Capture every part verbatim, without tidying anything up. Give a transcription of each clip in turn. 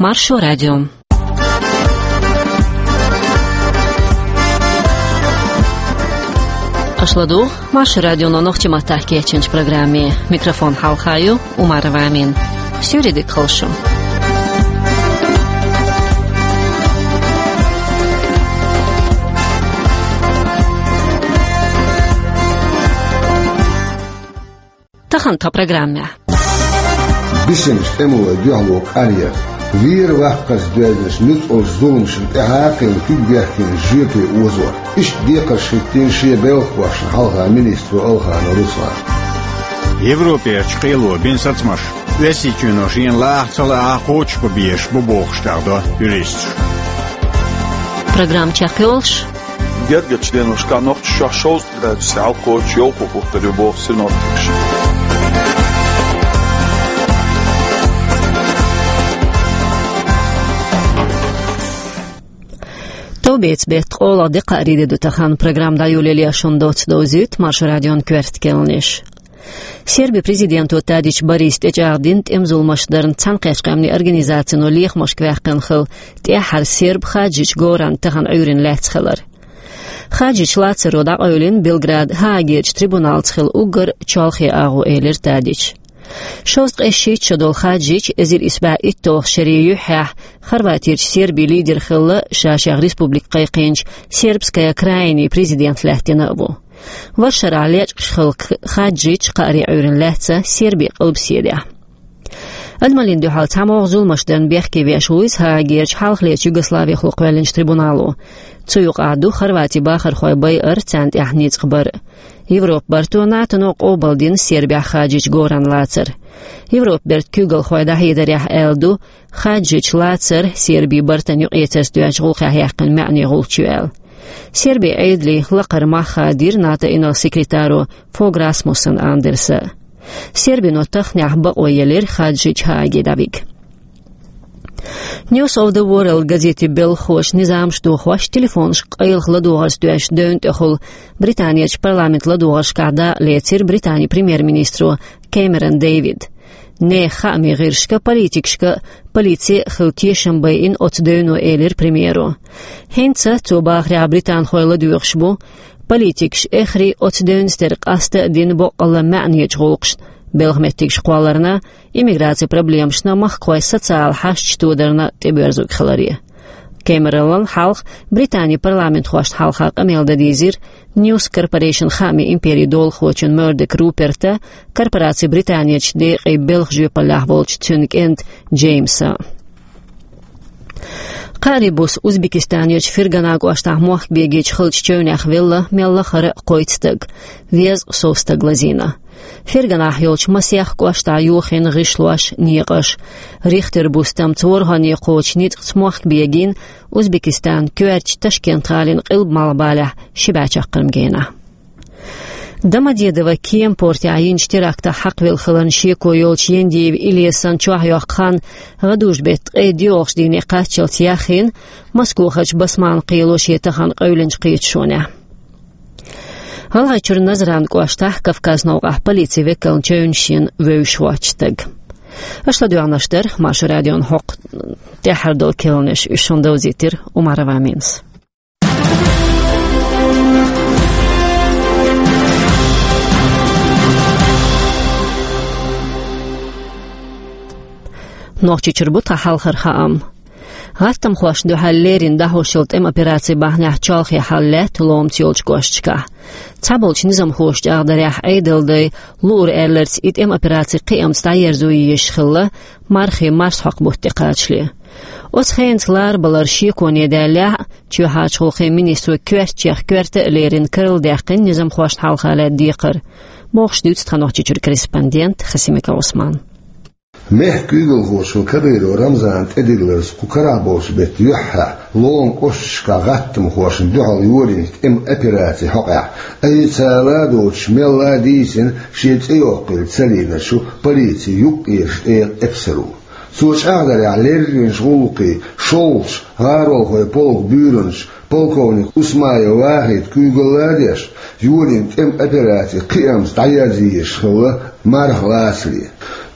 Маршо радио. Аша ладугӀу Маршо радионо нохчийн маттахь кечйинчу программе. Микрофон хьалха ю Умарова Амина. Суьйре дика хуьлда шун. Тахана тхан программехь. Бисинчу тӀемалойн дуьхьало кӀаръяр. Вер-ваккхарца доьзначу нуьцкъалчу зуламашна тӀаьхьа а кхин куьг бехкинчу жоьпе озор. Иштта декхарш хӀиттийна шен белхахошна хьалха министро Алханов Руслана. Европерчу кхело бина сацамаш Оьрсийчоьно шена лаахь ца лаахь кхочушбан безаш бу бохуш, тӀехдо юристаш. Программа чекхйолуш. Гергарчу деношкахь Нохчийчохь шовзткъа градусе хьалакхочуш йовхо хӀуттур ю боху синоптикаша. Товбецан беттан ткъолгӀа де, кхаарин де ду тахана. Программа дӀайолале шуна доцца довзуьйту Маршо радион коьрта керланаш. Сербин президенто Тадич Бориса тӀечӀагӀдина тӀеман зуламаш дарна Цхьаьнакхеттачу къаьмнийн организацино лехамашка ваьккхина хилла тӀаьххьара серб Хаджич Горан тахана Ӏуьйранна лаьцна хилар. Хаджич лацаро дӀакъевлина Белград Гаагерчу трибуналца хилла уггар чолхе агӀо, элира Тадича. Шовзткъе шийтта шо долу Хаджич эзар исс бӀе итталгӀа шерийн юьххьехь Хорватерчу Сербин лидер хилла, ша-шех республика кхайкхийначу Сербская Краинин президент лаьттина а ву. Варшарахь лечкъаш хилла Хаджич кхаарин Ӏуьйранна лаьцна Сербин къилбаседехь. Адамаллин дуьхьал цхьамогӀа зуламаш дарна бехке веш ву иза Гаагерчу хьалхалерчу Югославехула кхоьллинчу трибунало. Цу юкъахь ду Хорватин бахархой байар, царна тӀехь ницкъ бар. Европан барто, НАТО-но къобалдина Сербехь Хаджич Горан лацар. Европан бертан куьйгалхой дӀахьедарехь аьлла ду, Хаджич лацар Сербин бартан юкъаэцарца доьзначу гӀуллакхехь яьккхина маьӀне гӀулч ю аьлла. Сербин Ӏедалан лакхара мах хадийра НАТО-н инарла секретаро Фог Расмуссен Андерса. Сербино тахнехь бакъо елира Хаджич Гааге дӀавига. News of the World газетан белхахоша низамаш дохош, телефонашка къайлаха ладогӀарца доьзначу девна тӀехула Британерчу парламентан ладогӀаршкахь дакъа лецира Британин премьер-министро Кэмерон Дэвида. Нехан хаамийн гӀирсашка, политикашка а, полици а хилла тешам байина оцу девно, элира премьеро. ХӀинца, цо бахарехь, британхой ладоьгӀуш бу политикаша эххар а оцу девнца тера къаста а дина боккъалла маьӀнечу гӀуллакхашна, белхан меттигаш кхолларна, иммиграцин проблемашна, махкахойн социалан хьашташ тодарна тӀебоьрзург хиларе. Кэмеронна хьалха Британин парламентхошна хьалха къамел дан дийзира News Corporation хаамийн империн долахочун Мёрдок Руперта, корпорацин Британерчу декъийн белхан жоьпаллехь волчу цуьнан кӀентан Джеймсан. Кхаарин буса Узбекистанерчу Фергана кӀоштахь мохк бегийча хиллачу чевнех велла мел лахара а кхойтта стаг, везткъа сов стаг лазийна. Ферганахь йолчу масех кӀоштахь йохийна гӀишлош, некъаш. Рихтер бустамца ворхӀанне кхочу ницкъаца мохк бегийна Узбекистанан коьртачу Ташкент-гӀалин къилба-малхбалехь ши бӀе чаккхарма генахь. Домодедово кеман портехь йинчу терактах хьакхавелла хиларна шеко йолчу Яндиев Илесан чохь йоккху хан гӀадужу беттан ткъе доьалгӀачу дийне кхаччалц яхйина Москохарчу Басманан кхело шен тахана къевлинчу кхеташонехь. ГӀалгӀайчуьра Назран кӀоштахь Кавказан новкъахь полицин векална чевнаш йина вевзаш воцчу стаг. Аша ладоьгӀнарш дара Маршо радион хӀокху тӀаьххьара долу керланаш, уьш шуна довзийтира Умарова Аминас. Нохчийчуьра бу тхан хьалхара хаам. ГӀаттамхошна дуьхьал леррина дӀахьош йолу тӀеман операци бахьанехь чолхе хьал лаьтта ломаца йолчу кӀошташкахь. Цхьаболчу низамхоша чӀагӀдарехь, Ӏедалан дай луург аьлларца и тӀеман операци кхиамца дӀаерзо езаш хилла, мархин марсхьокху бутт тӀе кхачале. Оцу хенаца ларбалар шеконе даьллехь а, чоьхьарчу гӀуллакхийн министро коьртачех коьрта а леррина карладаьккхина низамхошна хьалха лаьтта декхар, бохуш дуьйцу тхан Нохчийчуьра корреспондента Хасимиков Ӏусмана. Мехкан куьйгалхочо Кадыров Рамзана тӀедилларца кху карахь болчу беттан юьххьехь Лома кӀошташкахь гӀаттамхошна дуьхьал йолийначу тӀеман операцин хьокъехь, айса ца ладойтуш, мелла а дийцина, шен цӀе йоккхийла ца лийначу полицин юккъерчу тӀегӀан эпсаро. Цо чӀагӀдарехь, лерринчу гӀуллакхийн шолгӀачу гӀаролхойн полкан буьйранча полковник Усмаев Вахида куьйгалла а деш, йолийна тӀеман операци кхиамца дӀаерзо езаш хилла марха лацале.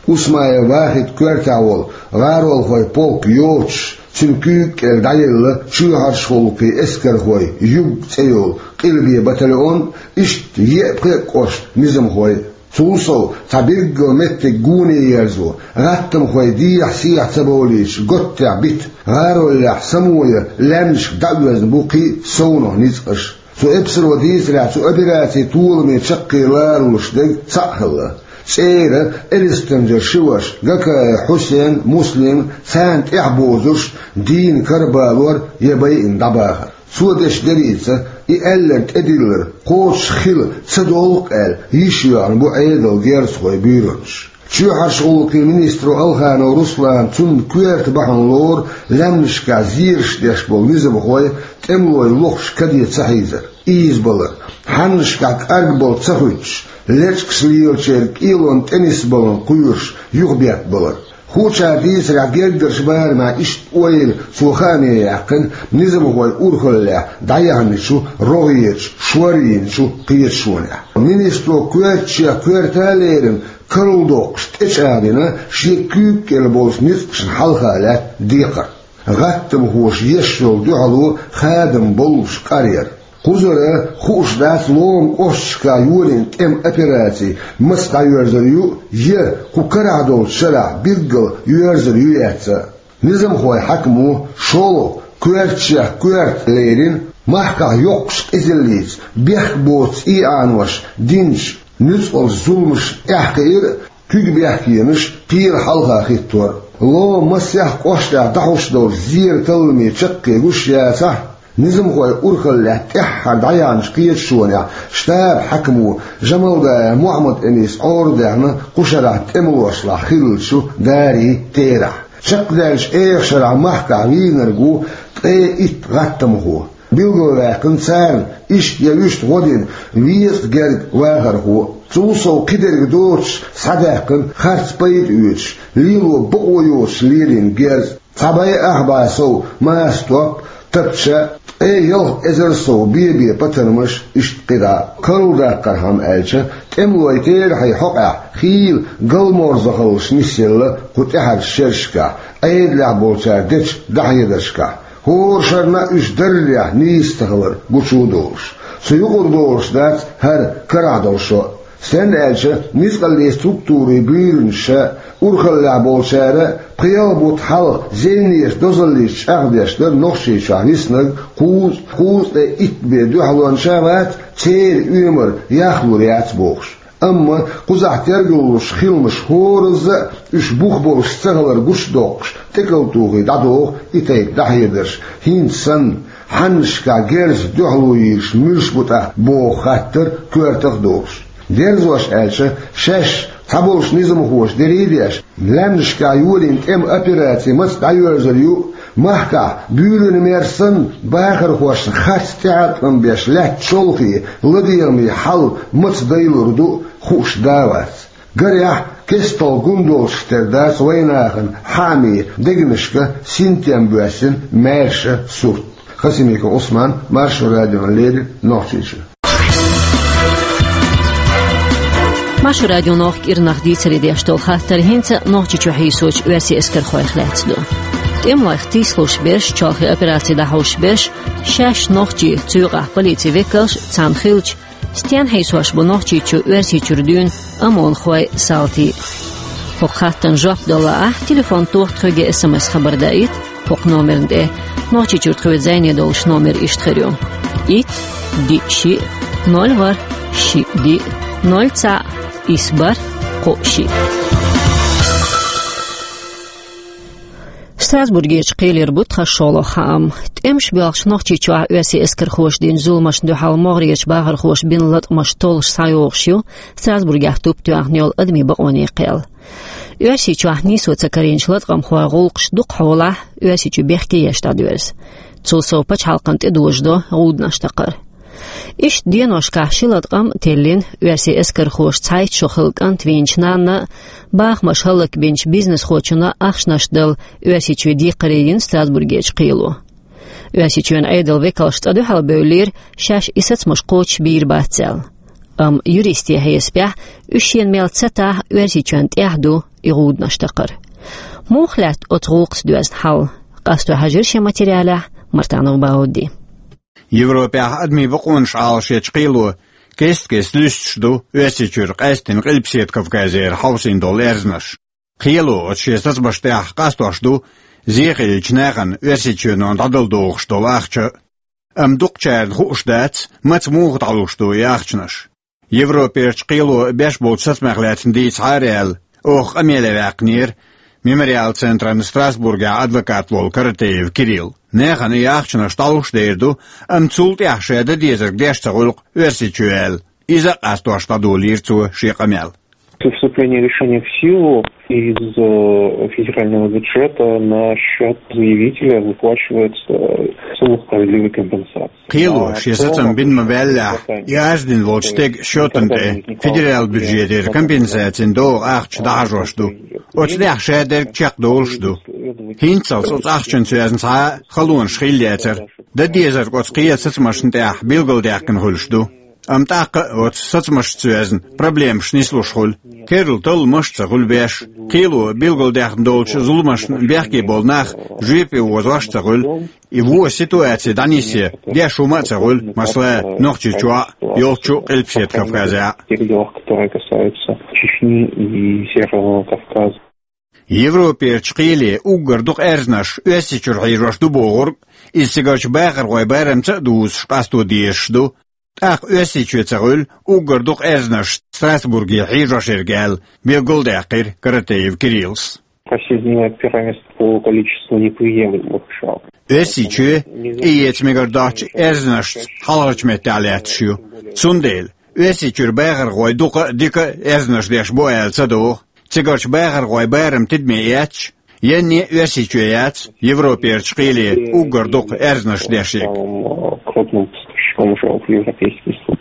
Усмаев Вахита коьртехь волу гӀаролхойн полк йоцуш, цуьнан куьйга кӀел дӀаелла чоьхьарчу гӀуллакхийн эскархойн юг цӀе йолу къилбе батальон, иштта еа-пхеа кӀоштан низамхой. Цул сов, цхьа билггал меттиг гоне ерзо, гӀаттамхойн дехьа-сехьа ца бовлуьйтуш, готтехь бита, гӀароллехь самоя лаьмнашка дӀаоьзна бу кхин а совнаха ницкъаш. Цу эпсаро дийцарехь, цу операцин толаме чаккхе ларалуш дерг цхьаъ хилла. ЦӀера Элистанжара ши ваша, Гакаев Хьусен, Муслим, царна тӀаьхьабозуш, дийна карабалор я байина дӀабахар. Цо деш деррица, и аьлларг тӀедиллар кхочуш хила ца долу-кх аьлла, йиш йоьгӀна бу Ӏедалан герзахойн буьйранаш. Чоьхьарчу гӀуллакхийн министро Алханов Руслана цунна коьрта бахьана лору лаьмнашкахь зераш деш болу низамхой тӀемалойн лохуш каде ца хьийзар, ийзабалар, хьаннашкахь кӀаргбала ца хӀуьттуш, лечкъаш лелачеран кӀелонна тӀе нисбаларна кхоьруш юхабеттабалар. Хуучара дийцарехь, гергарчу барамехь иштта ойла цо хааме яьккхина низамхойн урхаллехь дӀаяьхначу рогӀерачу, шор йийначу кхеташонехь. Министро коьртачех коьрта а лерина, карладоккхуш тӀечӀагӀдина шен куьйга кӀел болчу ницкъашна хьалха лаьтта декхар. ГӀаттамхоша еш йолу дуьхьало хадам боллуш къар яра. Кхузара хууш дац ломан кӀошташкахь йолийна тӀеман операци маца дӀайоьрзур ю, я кху карахь долчу шарахь билггал йоьрзур ю-яц а. Низамхойн хьаькамо шолгӀа коьртачех коьрта лерина, махкахь йоккхачу къизаллица бехк боцу иӀаноша динчу нуьцкъалчу зуламашна тӀаьхьакхиар а, куьг бехкенаш кхера хьалха хӀиттор а. Ломан масех кӀоштахь дӀахьуш долчу зеран талламийн чаккхе гуш яцахь, низамхойн урхаллехь тӀаьххьара дӀаяьхьначу кхеташонехь штабан хьаькамо Жамалдаев Мухьаммад-Энис Ӏорадаьхна кху шарахь тӀемалошлахь хиллачу дарийн терахь. Чекхдаьллачу эха шарахь махкахь вийнарг ву ткъе итт гӀаттамхо. Билгалваьккхина царна иштта я вуьшта гӀо дина везткъа герга вахархо. Цул сов, кхидерг доцуш схьадаьккхина харц пайда оьцуш, лело бакъо йоцуш лелийна герз. Цхьа бӀе ах бӀе сов маса топ, тапча, ткъе ялх эзар сов бе-бе патармаш, иштта кхидӀа. Карладаккхархьама аьлча, тӀемалойн терахьийн хьокъехь хийла галморзахаллаш нисъелла кху тӀаьхьарчу шерашкахь, Ӏедалехь болчара дечу дӀахьедаршкахь. ХӀора шарна а уьш даррехь нийса ца хилар гучу а долуш, цу юкъара долуш дац хӀара карахь долу шо а. Стенна аьлча, ницкъаллийн структурийн буьйранаш а, урхаллехь болчара а пхи-ялх бутт хьалха зенеш дозаллица чӀагӀдеш дара Нохчийчохь виснарг кхузткъа, кхузткъе итт бен дуьхьалонча а вац, церан оьмар яхлур яц бохуш. Амма кхузахь тергалуш хиламаш хӀоразза а уьш бух болуш ца хилар гучудоккхуш, тӀекӀалтухий дӀадоху и тайпа дӀахьедарш, хӀинца санна, хьаннашкахь герзах дуьхьало йийраш муьлш бу тӀаккха боху хаттар коьртах а долуш. Дерзош аьлча, шаьш цхьаболчу низамхоша дерриг а деш, лаьмнашкахь йолийна тӀеман операци маца дӀайоьрзур ю, махкахь буьйранан мер санна бахархошна харц тӀехьа а тӀом беш лаьтта чолхе, ладегӀаме хьал маца дайлур ду хууш да а вац. Гарехь, кестта гун долчух тера дац вайнахана хьаамийн дегнашка синтем боьссина маьрша сурт. Хасимиков Ӏусман, Маршо радиона леррина, Нохчийчуьра. Маршо радион нохчийн кӀирнах дийцаре деш долу хаттар хӀинца Нохчийчу хьийсочу оьрсийн эскархойх лаьцна ду. ТӀемалойх тийсалуш берш, чолхе операци дӀахьуш берш, шаьш нохчий, цу юкъахь полицин векалш, царна хиллачу, стенна хьийсош бу Нохчийчу Оьрсийчуьра дуьйна ОМОНхой, салтий. ХӀокху хаттарна жоп дала лаахь, телефон тоха тхоьга, СМС хабар даийта хӀокху номерна тӀе. Нохчийчуьра тхоьца зӀене долуш номер иштта хир ю: итт, диъ, шиъ, ноль, ворхӀ, шиъ, диъ, ноль, цхьаъ, исс, бархӀ, кхоъ, шиъ. Страсбургерчу кхелера бу тхан шолгӀа хаам. ТӀемаш боьлхучу Нохчийчохь оьрсийн эскархоша дина зуламашна дуьхьал могӀарерчу бахархоша бина латкъамаш толлуш схьайогӀуш ю Страсбургехь туп тоьхна йолу адамийн бакъонийн кхел. Оьрсийчохь нийсо ца карийначу латкъамхойн гӀуллакхаш дукхахьолахь Оьрсийчу бехке еш дӀадоьрзу. Цул сов, пачхьалкхана тӀедожадо гӀуданаш такхар. Иштта деношкахь ши латкъам а теллина, оьрсийн эскархоша цхьайтта шо хилла кӀант вийначу нанна а, бахамаш хӀаллакбинчу бизнесхочунна а ахчанаш дала Оьрсийчуьра декхаре йина Страсбургерчу кхело. Оьрсийчоьнан Ӏедалан векалш цкъа дуьхьал бевллера, шаьш и сацамаш кхочуш бийр бац аьлла. Амма юристийн хьесапехь, уьш шена мел ца тахь, Оьрсийчоьнна тӀехь ду и гӀуданаш такхар. Муха лаьтта оцу гӀуллакхца доьзна хьал? Къасто хьажира шен материалехь Мартанов Баудди. Европехь адамийн бакъонаш Ӏалашъечу кхело кест-кеста луьстуш ду Оьрсийчуьра къаьсттина Къилбаседа Кавказера хьовсийна долу аьрзнаш. Кхело оцу шен сацамаш тӀехь къастош ду зе хиллачу нахана Оьрсийчоьно дӀадала догӀуш долу ахча. Амма дукхачарна хууш дац, маца муха дӀалуш ду и ахчанаш. Европерчу кхело беш болчу сацамех лаьцна дийцахьара аьлла, оха къамеле ваьккхинера Мемориал центран Страсбургехь адвокат волу Каратеев Кирилл. Нахана и ахчанаш дӀалуш дер ду, амма цул тӀаьхьа ша дан дезарг деш ца гӀуьллу-кх Оьрсийчоь аьлла. Иза а къастош дӀадолийра цо шен къамел. Вступление решения в силу из э, федерального бюджета на счет заявителя выплачивается э, сумма справедливой компенсации. Кхело шен сацам бина ма-ваьллехь, и арз дина волчу стеган счетана тӀе федерал бюджетера компенсацин догӀу ахча дӀахьажош ду. Оцу тӀехь ша дерг чекхдолуш ду. ХӀинццалц оцу ахчанца йоьзна цхьа а халонаш хилла яцара. Дан дезарг оцу кхелан сацамашна тӀехь билгалдаьккхина хуьлуш ду. Амма тӀаккха а оцу сацамашца йоьзна проблемаш нислуш хуьлу. Керла талламаш а ца хуьлу беш. Кхело билгалдаьккхина долчу зуламашна бехке болу нах жоьпе озош а ца хуьлу. И вон ситуаци дӀанисъян деш хӀума а ца хуьлу, масала, Нохчийчохь а, йолччу Къилбаседа Кавказехь а. Тех делах, которые касаются Чечни и Северного Кавказа. Европерчу кхеле уггар дукха аьрзнаш Оьрсийчуьра хьийжош ду бохург, иза цигарчу бахархойн барамца а дузуш къасто дезаш ду. ТӀаккха Оьрсийчоь ца хуьлу уггар дукха аьрзнаш Страсбурге хьийжош ерг аьлла, билгалдаьккхира Каратеев Кириллс. Россия занимает первое место по количеству неприемлемых жалоб. Оьрсийчоь тӀеэца мегар доцчу аьрзнашца хьалхарчу меттехь лаьтташ ю. Цундела Оьрсийчуьра бахархой дукха а, дика а аьрзнаш деш бу аьлла ца догӀу. Цигарчу бахархойн барам тидаме эцча, янне а Оьрсийчоь яц Европерчу кхеле уггар дукха аьрзнаш деш ерг. Самым э, крупным поставщиком жалоб в Европейский суд.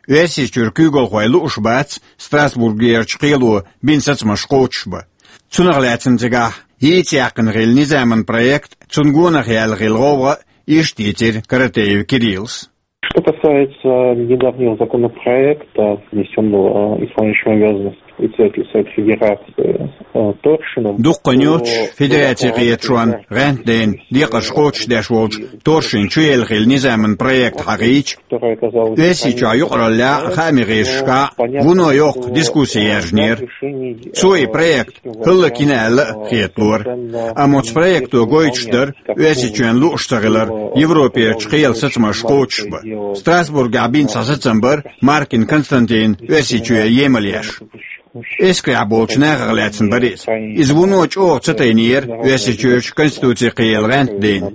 Оьрсийчуьра куьйгалхой лууш бац Страсбургерчу кхело бина сацамаш кхочушбан. Цунах лаьцна цигахь йийца яьккхина хилла низаман проект, цунна гонах яьлла хилла гӀовгӀа а, иштта дийцира Каратеев Кириллс. Что касается недавнего законопроекта, внесённого э, исполняющим обязанности председателя Совета Федерации э, Торшином, дуккха нуьйцуш то федерацин кхеташонан гӀаьнтдайна декъарш кхочушдеш волчу Торшин чуелла хилла низаман проект хьахийча, Оьрсийчохь юкъараллехь а, хаамийн гӀирсашкахь а вуно йоккха дискусси яьржинера. Цо и проект хӀаллакйина аьлла а хеталора. Амма оцу проекто гойтуш дара Оьрсийчоьнан лууш ца хилар Европерчу кхелан сацамаш кхочушбан. Страсбургехь бина цхьа сацам бара Маркин Константина Оьрсийчоь емал еш. Эскарехь болчу нахах лаьцна бара иза. Иза вуно чӀогӀа ца тайнера Оьрсийчуьрчу Конституцин кхелан гӀаьнтдайна.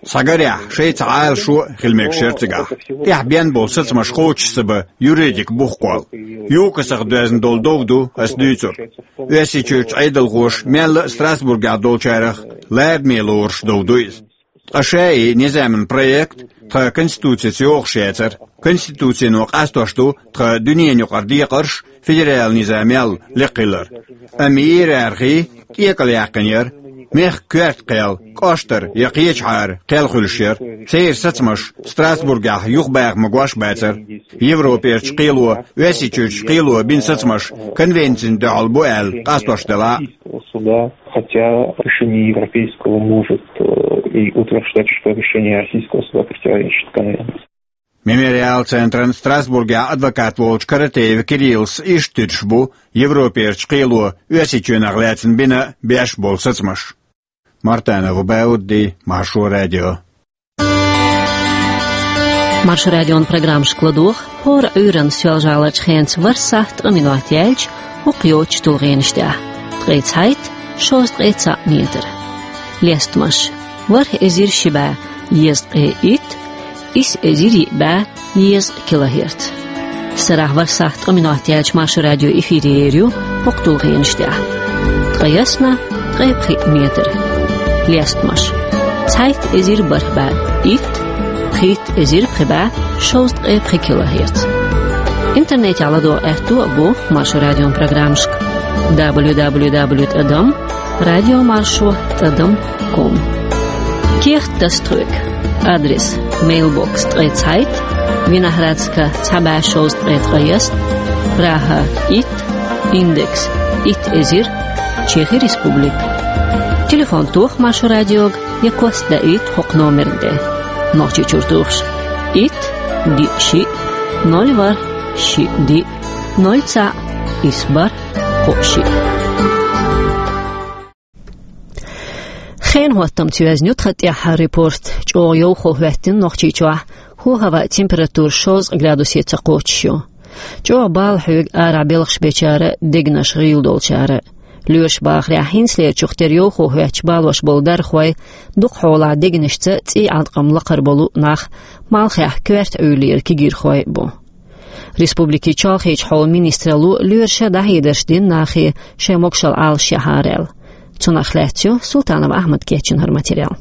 Схьагарехь, шайца Ӏалашо а хила мегаш яра цигахь. ТӀехь бен болу сацамаш кхочуш ца бан юридик бух кхолла. ЮКОСах доьзна долу дов ду ас дуьйцург. Оьрсийчуьрчу Ӏедалхоша мелла а Страсбургехь долчарах лараме лоруш дов ду иза. Ткъа ша и низаман проект тхан Конституцица йогӀуш яцара. Конституцино къастош ду тхан дуьненан юкъара декъарш федерал низам мел лекха хилар. Амма иерархи тӀекӀел яьккхина яра. Мехкан коьрта кхел, кӀоштара я кхечахьара кхел хуьлуш яра. Церан сацамаш Страсбургехь юхабаха магош бацара. Европерчу кхело, Оьрсийчуьрчу кхело бина сацамаш конвенцина дуьхьал бу аьлла къастош делахь а. Суда, хотя решение Европейского может э, и утверждать, что решение Российского суда противоречит конвенции. Мемориал центран Страсбургехь адвокат волчу Каратеев Кириллс иштта туьдуш бу Европерчу кхело Оьрсийчоьнах лаьцна бина беш болу сацамаш. Мартанов Баудди, Маршо радио. Маршо радион программашка ладогӀа хӀора Ӏуьйранна соьлжа-гӀаларчу хенца ворхӀ сахьт ткъа минот яьлча хӀокху йоцчу тулгӀенаш тӀехь: ткъе цхьайтта, шовзткъе цхьаъ метр. Лестамаш: ворхӀ эзар ши бӀе езткъе итт, исс эзар йиъ бӀе езткъа килогерц. Сарахь ворхӀ сахьт ткъа минот яьлча Маршо радио эфире ер ю хӀокху тулгӀенаш тӀехь: ткъе ялх, ткъе пхиъ метр. Лестамаш: цхьайтта эзар бархӀ бӀе итт, пхийтта эзар пхи бӀе шовзткъе пхи килогерц. Интернетехь ладогӀа аьтто а бу Маршо радион программашка: дабл ю дабл ю дабл ю тӀадам радиомаршо тӀадам ком. Кехат тасадойту. Адрес: мейлбокс ткъе цхьайтта, Виноградска цхьа бӀе шовзткъе ткъайесна, Прага итт, индекс итт эзар Чехи Республика. Телефон тоха Маршо радиога, я кост да ит хӀокху номер де. Нохчийчуьра тухуш: ит, диъ, шиъ, ноль, ворхӀ, шиъ, диъ, ноль, цхьаъ, исс, бархӀ, кхоъ, шиъ. Хенан хӀоттамца йоьзна ю тхан тӀаьххьара репорт. ЧӀогӀа йовхо хӀоьттина Нохчийчохь, хӀаваан температура шовзткъа градусе ца кхочуш ю. ЧӀогӀа бала хьоьгу арахь белхаш бечара, дегнаш гӀийла долчара. Лоьраш бахарехь, хӀинцалерчух тера йовхо хӀоьттича балош болу дархой, дукха хьолахь дегнашца цӀий Ӏаткъам лакхара болу нах, малхехь коьрта Ӏуьйлера кегийрхой бу. Республикин чолхечу хьолан министралло лоьраша дӀахьедарш дина нахе, шайн могушалла Ӏалашъяхьара аьлла. Цунах лаьцна ю Султанов Ахьмада кечйина хӀара материал.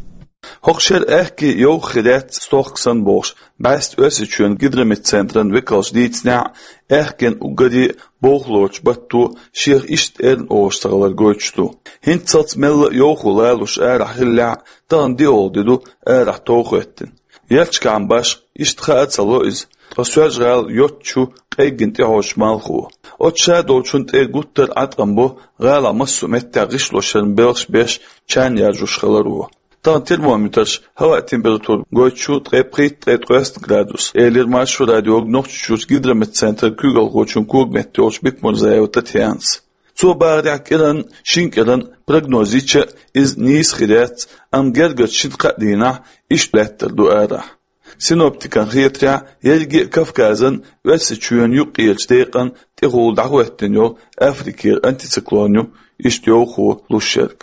ХӀокху шеран аьхке йовха хир яц стохка санна бохуш, бӀаьста Оьрсийчоьнан гидрометцентран векалша дийцинехь, аьхкенан уггаре а бовхалочу батто шех иштта эрна олуш ца хилар гойтуш ду. ХӀинццалц мелла а йовхо лалуш арахь хиллехь а, тахана диъолгӀа де ду арахь тов хӀоьттина. Ярташкахь башха иштта хаа ца ло иза, ткъа Соьлжа-ГӀала йоцучу къеггина тӀехьочу малхо. Оцу ша долчунна тӀе гуттар а Ӏаткъам бо гӀалахь массо а меттехь гӀишлошъяран белхаш беш, чан яржош хиларо. Тахана термометраш хӀаваан температура гойтуш ю ткъе пхийтта, ткъе ткъайоьсна градус, элира Маршо радиога Нохчийчуьрчу гидрометцентран куьйгалхочун когаметта йолчу Бекмурзаева Татьянас. Цо бахарехь, кӀиранна, шина кӀиранна прогноз йича а, иза нийса хир яц, амма гергарчу шина-кхаа дийнахь иштта лаьттар ду арахь. Синоптикан хетарехь, ерриге а Кавказан, Оьрсийчоьнан юккъерачу декъана тӀехула дӀахӀоьттина йолу Африкера антициклон ю иштта йовхо луш ерг.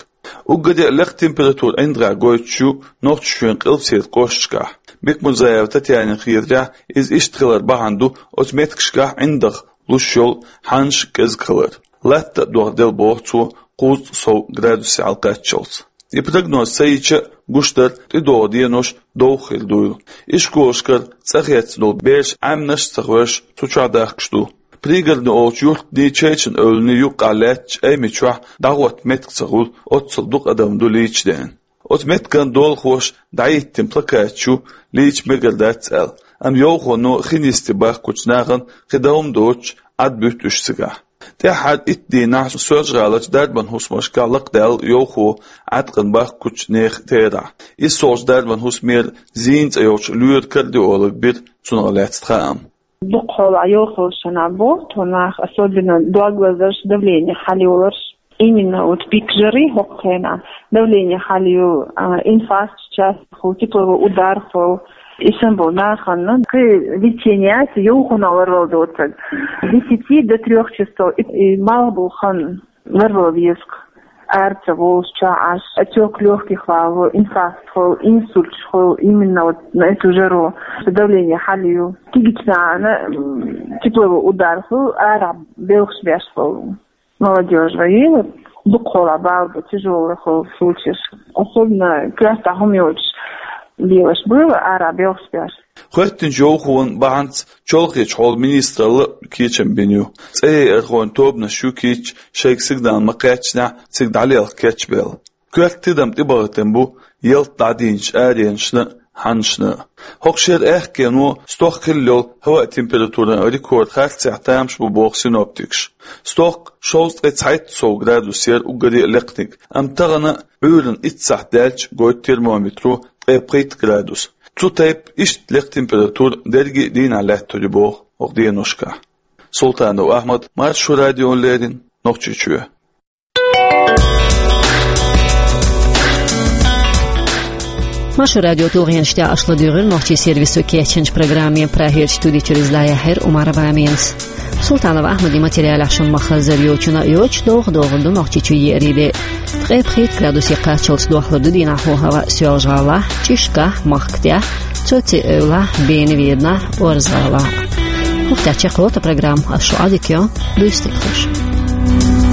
Уггаре а лекха температура ӀиндагӀехь гойтуш ю Нохчийчоьнан къилбаседа кӀошташкахь. Бекмурзаева Татьянина хетарехь, иза иштта хиларан бахьана ду оцу меттигашкахь ӀиндагӀ луш йолу хьанаш кӀезиг хилар. Латта а дохделла, боху цо, кхузткъа сов градусе хьалакхаччалц. И прогноз ца йича а, гуш дара, тӀедогӀу денош довха хир дуйла. Ишколашкара цӀа хецна долу бераш Ӏаьмнаш а ца хевшаш, цу чохь дахкаш ду. Пригородни олучу юьртанний, Чечан-Эвланний юккъехь лаьттачу Аймачохь дӀахӀотта меттиг ца хуьлу, оццул дукха адам ду лийча деана. Оцу меттиган долахоша дӀахӀиттина плакаташ ю, лийча мегар дац аьлла, амма йовхоно хин йисте бахкучу нахана кхин дан хӀума доцуш, Ӏад буьту уьш цигахь. ТӀаьххьара итт дийнахь Соьлжа-ГӀаларчу дарбан хӀусамашкахь лакхадаьлла йовхо Ӏаткъам бахкучу нехан терахь. Иза солчу дарбан хӀусамера Зийна цӀе йолчу лоьран карди олаг бира цунах лаьцна хаам. Дукха хьолахь йовхаллаш шайна бу, тхо нах, особенно дог лазарш, давление хьалайоларш. Именно вот пик жары хӀокху хенахь давление хьалайолу, а, инфаркт, часто тепловой удар хуьлу. И санна болу нахана кхин лечение яц, йовхонах ларвала доцург. С десяти до трёх часов и, и малх болу хан ларвала веза-кх. Ара ца волуш, чохь Ӏаш, отёк лёгких валло, инфаркт хуьлу, инсульташ хуьлу, именно вот на эту жару, что давление хьалайолу. Кегийчу нахана, м, тепловой удар хуьлу, арахь белхаш беш хуьлу. Молодёжь вай, вот, дукха хьолахь бала бу, тяжёлый хуьлу случаеш. Особенно коьртахь хӀума йоцуш лелаш бу, арахь белхаш беш. ХӀоьттинчу йовхонан бахьанца чолхечу хьолан министралла а кечам бина ю. ЦӀе яйархойн тобанаш ю кийча, шайга сигнал ма-кхаьччинехь, цига дӀалелха кечбелла. Коьрта тидам тӀебахийтина бу ялта дӀадийначу аренашна а, хьанашна а. ХӀокху шеран аьхкено стохка хилла йолу хӀаваан температуран рекорд харцехь тамаш бу, боху синоптикаша. Стохка шовзткъе цхьайтта сов градус яра уггаре а лекханиг, амма тахана, Ӏуьйранна итт сахьт даьлча, гойту термометро ткъе пхийтта градус. Цу тайпа иштта лекха температура дерриге а дийнахь лаьттур ю, боху, хӀокху деношкахь. Султанов Ахьмад, Маршо радиона леррина, Нохчийчоь. Маршо радион тулгӀенаш тӀехь аша ладуьйгӀира нохчийн сервисо кечйинчу программе. Прагерчу студи чуьра иза дӀаяьхьира Умарова Аминас. Султанов Ахьмадан материалех шуна ма-хаззара, йочунна а йоцуш, довха догӀур ду Нохчийчу еарин де. Ткъе пхийтта градусе кхаччалц дохлур ду дийнахь хӀаваан Соьлжа-ГӀалахь, Чишкахь, Махкатехь, Цоци-Эвлахь, Бена-Веданахь, Орза-ГӀалахь. ХӀокху тӀехь чекхйолу тхан программа. Ас шу Ӏадика йо, дуьйцу дика хуьлда шун.